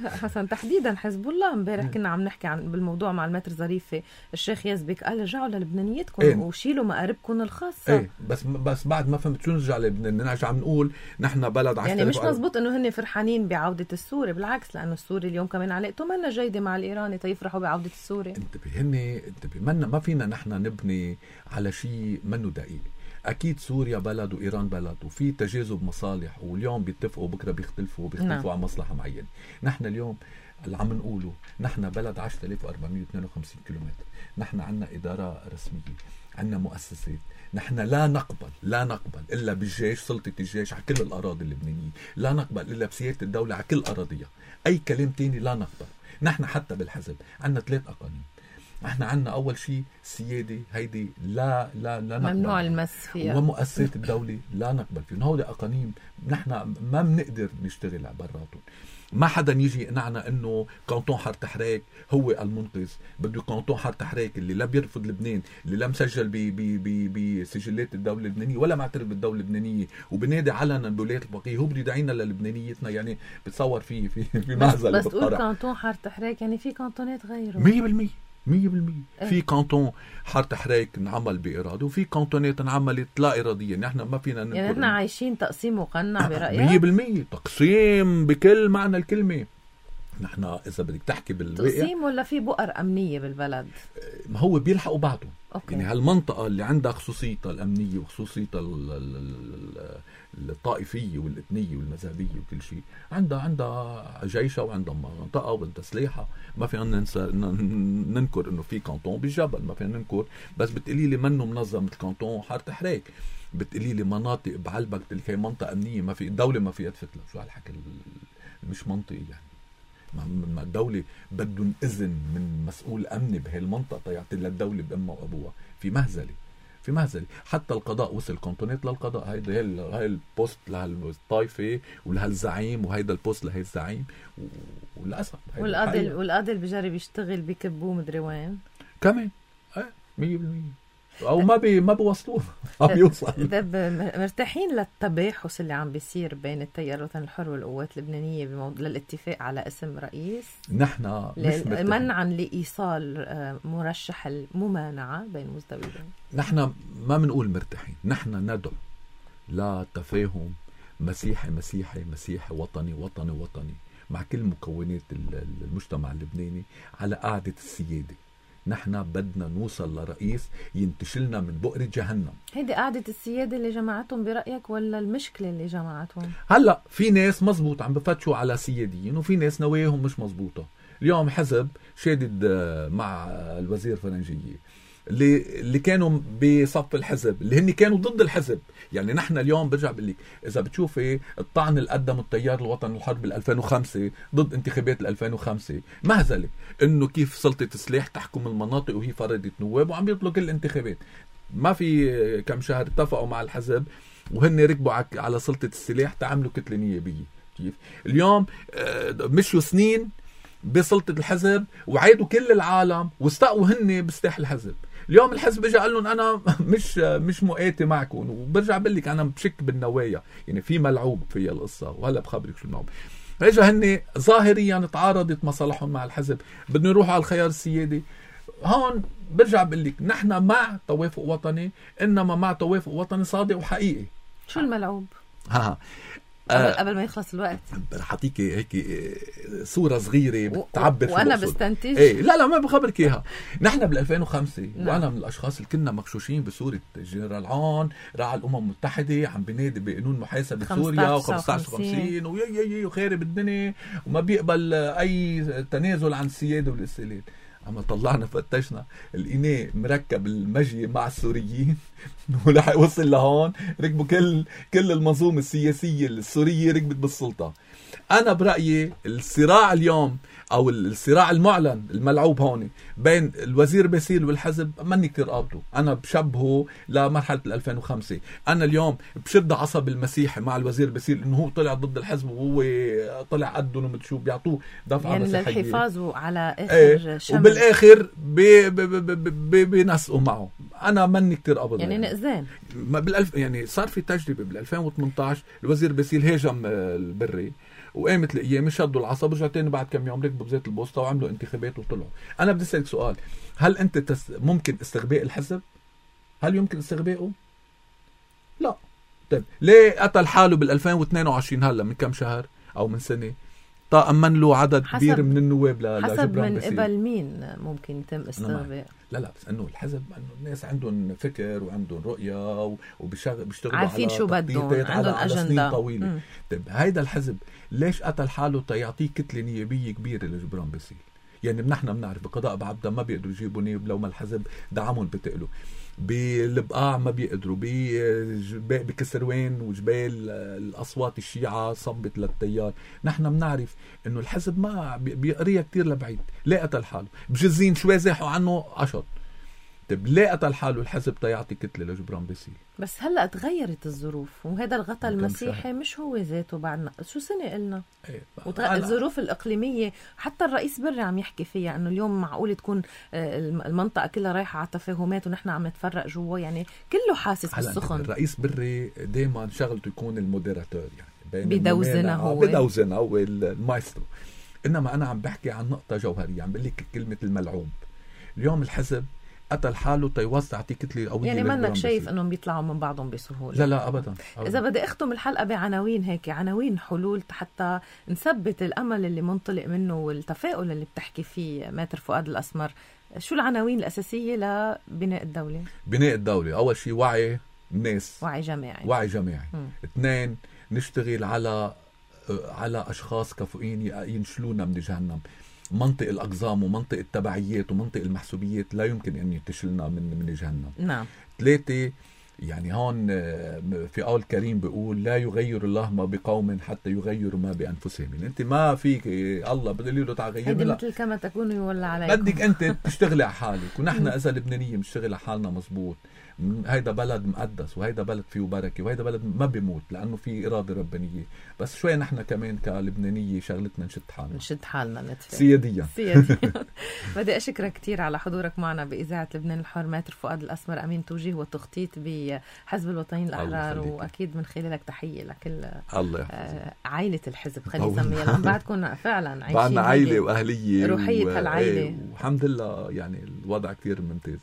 حسن تحديدا حزب الله. امبارح كنا عم نحكي عن بالموضوع مع المتر ظريفة، الشيخ يزبك قال رجعوا للبنانيتكم ايه؟ وشيلوا مقاربكم الخاصة. ايه بس بس بعد ما فهمت شو نرجع لبنان. نرجع عم نقول نحن بلد عشرة يعني مش مزبوط انه هن فرحانين بعودة السوري، بالعكس لانه السوري اليوم كمان علاقته منا جيدة مع الايراني تيفرحوا بعودة السوري. انتبه هن انتبه ما فينا نحن نبني على شيء منه دقيق. أكيد سوريا بلد وإيران بلد وفي تجاذب مصالح، واليوم بيتفقوا بكرة بيختلفوا بيختلفوا نعم. عن مصلحة معينة. نحن اليوم اللي عم نقوله نحن بلد عشرة آلاف وأربعمية واثنين وخمسين كيلومتر، نحن عنا إدارة رسمية، عنا مؤسسات، نحن لا نقبل لا نقبل إلا بالجيش، سلطة الجيش على كل الأراضي اللبنانية، لا نقبل إلا بسيادة الدولة على كل أراضيها. أي كلام تاني لا نقبل. نحن حتى بالحزب عنا ثلاث أقانيم. احنا عنا اول شيء سيادة هيدي لا لا لا نقبل، ممنوع المس فيها، ومؤسسات الدولة لا نقبل فيهم. هودي اقانيم نحن ما بنقدر نشتغل براتهم. ما حدا يجي يقنعنا انه كانتون حارة حراك هو المنقذ. بده كانتون حارة حراك اللي لا بيرفض لبنان، اللي لا مسجل بسجلات الدولة اللبنانية ولا معترف بالدولة اللبنانية وبنادي علنا بولايات الفقيه، هو بده يدعينا للبنانيتنا. يعني بتصور في في في معزل. بس تقول كانتون حارة حراك يعني في كانتونات غيره مية بالمية مية بالمية. في كانتون حارة حراك انعمل بإرادة وفي كانتونات انعملت لا إراديا. نحن ما فينا نقول يعني نحن عايشين تقسيم مقنع برأيك؟ مية بالمية تقسيم بكل معنى الكلمة. نحن إذا بدك تحكي بالواقع تقسيم ولا في بؤر أمنية بالبلد؟ ما هو بيلحقوا بعضهم. أوكي. يعني هالمنطقة اللي عندها خصوصيتها الأمنية وخصوصيتها الطائفية والإثنية والمذهبية وكل شيء، عندها عندها جيشها وعندها منطقة وعندها سلاحها. ما فينا ننسى ننكر إنه في كانتون بالجبل، ما فينا ننكر، بس بتقولي لي منه منظم مثل كانتون حارة حريك. بتقولي لي مناطق بعلبك اللي هي منطقة أمنية ما في الدولة ما فيها تفتلها. شو هالحكي مش منطقي يعني؟ ما الدولة بدهم إذن من مسؤول أمني بهالمنطقة تيعطي للدولة بأمها وأبوها. في مهزلة في مهزلة. حتى القضاء وصل كونتونات للقضاء. هيدا هاي البوست لهالطائفة ولهالزعيم، وهيدا البوست لهي الزعيم، وللأسف والقاضي والقاضي اللي بجرب يشتغل بكبوه مدري وين كمان ايه مية بالمية او ما بي ما بوصلوه ما بيوصل. مرتاحين للتباحث اللي عم بيصير بين التيار الوطني الحر والقوات اللبنانيه بموضوع للاتفاق على اسم رئيس؟ نحن مش منعا لايصال مرشح الممانعه بين مزدوجين. نحن ما بنقول مرتاحين، نحن ندعو لتفاهم مسيحي مسيحي مسيحي وطني وطني وطني مع كل مكونات المجتمع اللبناني على قاعده السياده. نحن بدنا نوصل لرئيس ينتشلنا من بؤرة جهنم. هيدي قاعدة السيادة اللي جمعتهم برأيك ولا المشكلة اللي جمعتهم؟ هلأ في ناس مزبوط عم بفتشوا على سياديين، وفي ناس نواياهم مش مزبوطة. اليوم حزب شادد مع الوزير فرنجية اللي اللي كانوا بصف الحزب، اللي هن كانوا ضد الحزب. يعني نحن اليوم برجع بقول لك اذا بتشوفي الطعن اللي قدمه التيار الوطني الحرب بال ألفين وخمسة ضد انتخابات ال ألفين وخمسة، مهزله انه كيف سلطه السلاح تحكم المناطق وهي فرضت نواب وعم يطلقوا الانتخابات. ما في كم شهر اتفقوا مع الحزب وهن ركبوا على سلطه السلاح تعملوا كتله نيابيه. كيف اليوم مشوا سنين بسلطه الحزب وعيدوا كل العالم واستقوا هن بسلاح الحزب. اليوم الحزب اجى قال لهم انا مش مش مؤاتي معكم، وبرجع بقول لك انا بشك بالنوايا. يعني في ملعوب في القصه، وهلا بخبرك شو الملعوب. اجى هن ظاهريا تعارضت مصالحهم مع الحزب، بدهم يروحوا على الخيار السيادي. هون برجع بقول لك نحن مع توافق وطني، انما مع توافق وطني صادق وحقيقي. شو الملعوب؟ ها قبل, آه قبل ما يخلص الوقت رح اعطيك هيك صوره صغيره بتعبر و... وانا بستنتج. ايه لا لا ما بخبرك اياها. نحن بال ألفين وخمسة وانا من الاشخاص اللي كنا مغشوشين بصوره جنرال عون راعي الامم المتحده عم بينادي بقانون محاسبه سوريا و15 خمسين ويا يا يا وخارب الدنيا وما بيقبل اي تنازل عن السياده والاستقلال. عم طلعنا فتشنا الإناء مركب المجي مع السوريين ولح وصل لهون ركبوا كل كل المنظومة السياسية السورية ركبت بالسلطة. أنا برأيي الصراع اليوم أو الصراع المعلن الملعوب هون بين الوزير باسيل والحزب ماني كتير قابته. أنا بشبهه لمرحلة ألفين وخمسة. أنا اليوم بشد عصب المسيحي مع الوزير باسيل إنه هو طلع ضد الحزب وهو طلع قدهم ومتشو بيعطوه دفعة يعني مسيحية للحفاظ على آخر ايه شمل، وبالآخر بي بي بي بي بينسقوا معه. أنا ماني كتير قابض يعني نقزان. بالألف يعني صار في تجربة بال ألفين وثمانية عشر الوزير باسيل هاجم البري وقامت القيامة شدوا العصب ورجعوا تاني بعد كم يوم ركبوا بزيت البوسطة وعملوا انتخابات وطلعوا. أنا بدي أسألك سؤال، هل أنت تس... ممكن استغباء الحزب؟ هل يمكن استغبائه؟ لا. طيب ليه قتل حاله بال ألفين واثنين وعشرين هلا من كم شهر أو من سنة طأمن له عدد كبير من النواب ل... حسب من قبل مين ممكن يتم استغباء؟ لا لا بس انه الحزب انه الناس عندهم فكر وعندهم رؤيه وبيشتغلوا عارفين شو بدهم، عندهم اجنده طويله. طيب هيدا الحزب ليش قتل حاله تيعطيه كتله نيابيه كبيره لجبران باسيل؟ يعني نحن بنعرف بقضاء بعبده ما بيقدروا يجيبوا نياب لو ما الحزب دعمهم بتقلوا، بالبقاع ما بيقدروا، بكسروان وجبال الاصوات الشيعة صبت للتيار. نحن بنعرف انه الحزب ما بيقريها كتير لبعيد. ليه قتل حاله؟ بجزين شوي زاحوا عنه عشط. طيب ليه قتل حاله الحزب تيعطي كتله لجبران باسيل؟ بس هلا تغيرت الظروف وهذا الغطاء المسيحي مش هو ذاته بعد شو سنه قلنا. ايه وتغ... الظروف الاقليميه حتى الرئيس بري عم يحكي فيها انه اليوم معقول تكون المنطقه كلها رايحه على تفاهمات ونحن عم نتفرق جوا، يعني كله حاسس بالسخن. الرئيس بري دائما شغلته يكون الموديراتور، يعني بدوزنا هو بدوزنا هو المايسترو. انما انا عم بحكي عن نقطه جوهريه، عم بقول لك كلمه الملعوب. اليوم الحزب قتل حاله تيوسع كتله قويه، يعني منك شايف انهم بيطلعوا من بعضهم بسهوله؟ لا لا ابدا, أبداً. اذا بدي اختم الحلقه بعناوين هيك، عناوين حلول حتى نثبت الامل اللي منطلق منه والتفاؤل اللي بتحكي فيه ماتر فؤاد الاسمر شو العناوين الأساسية لبناء الدولة؟ بناء الدولة أول شيء وعي الناس، وعي جماعي، وعي جماعي. م. اثنين، نشتغل على على أشخاص كفؤين ينشلونا من جهنم. منطق الأقزام ومنطق التبعيات ومنطق المحسوبيات لا يمكن أن يتشلنا من من جهنم. نعم. ثلاثة، يعني هون في قول كريم بيقول لا يغير الله ما بقوم حتى يغيروا ما بأنفسهم. يعني أنت ما فيك الله بدل له تعال غير، لا مثل كما تكونوا يولى عليكم، بدك أنت تشتغلي على حالك. ونحن إذا لبنانية بنشتغل على حالنا مزبوط. هيدا بلد مقدس وهيدا بلد فيه بركة وهيدا بلد ما بيموت لأنه فيه إرادة ربانية. بس شوي نحن كمان كلبنانية شغلتنا نشد حالنا نشد حالنا نتفق سياديا سياديا. بدي أشكرك كتير على حضورك معنا بإذاعة لبنان الحر ماتر فؤاد الأسمر، أمين توجيه والتخطيط بحزب الوطنيين الأحرار، وأكيد من خلالك تحية لكل الله آه عائلة الحزب خلي نسميها، لأن بعدكم فعلا عايشين بعدنا عائلة وأهلية روحية و... هالعائلة والحمد لله يعني الوضع كتير ممتاز.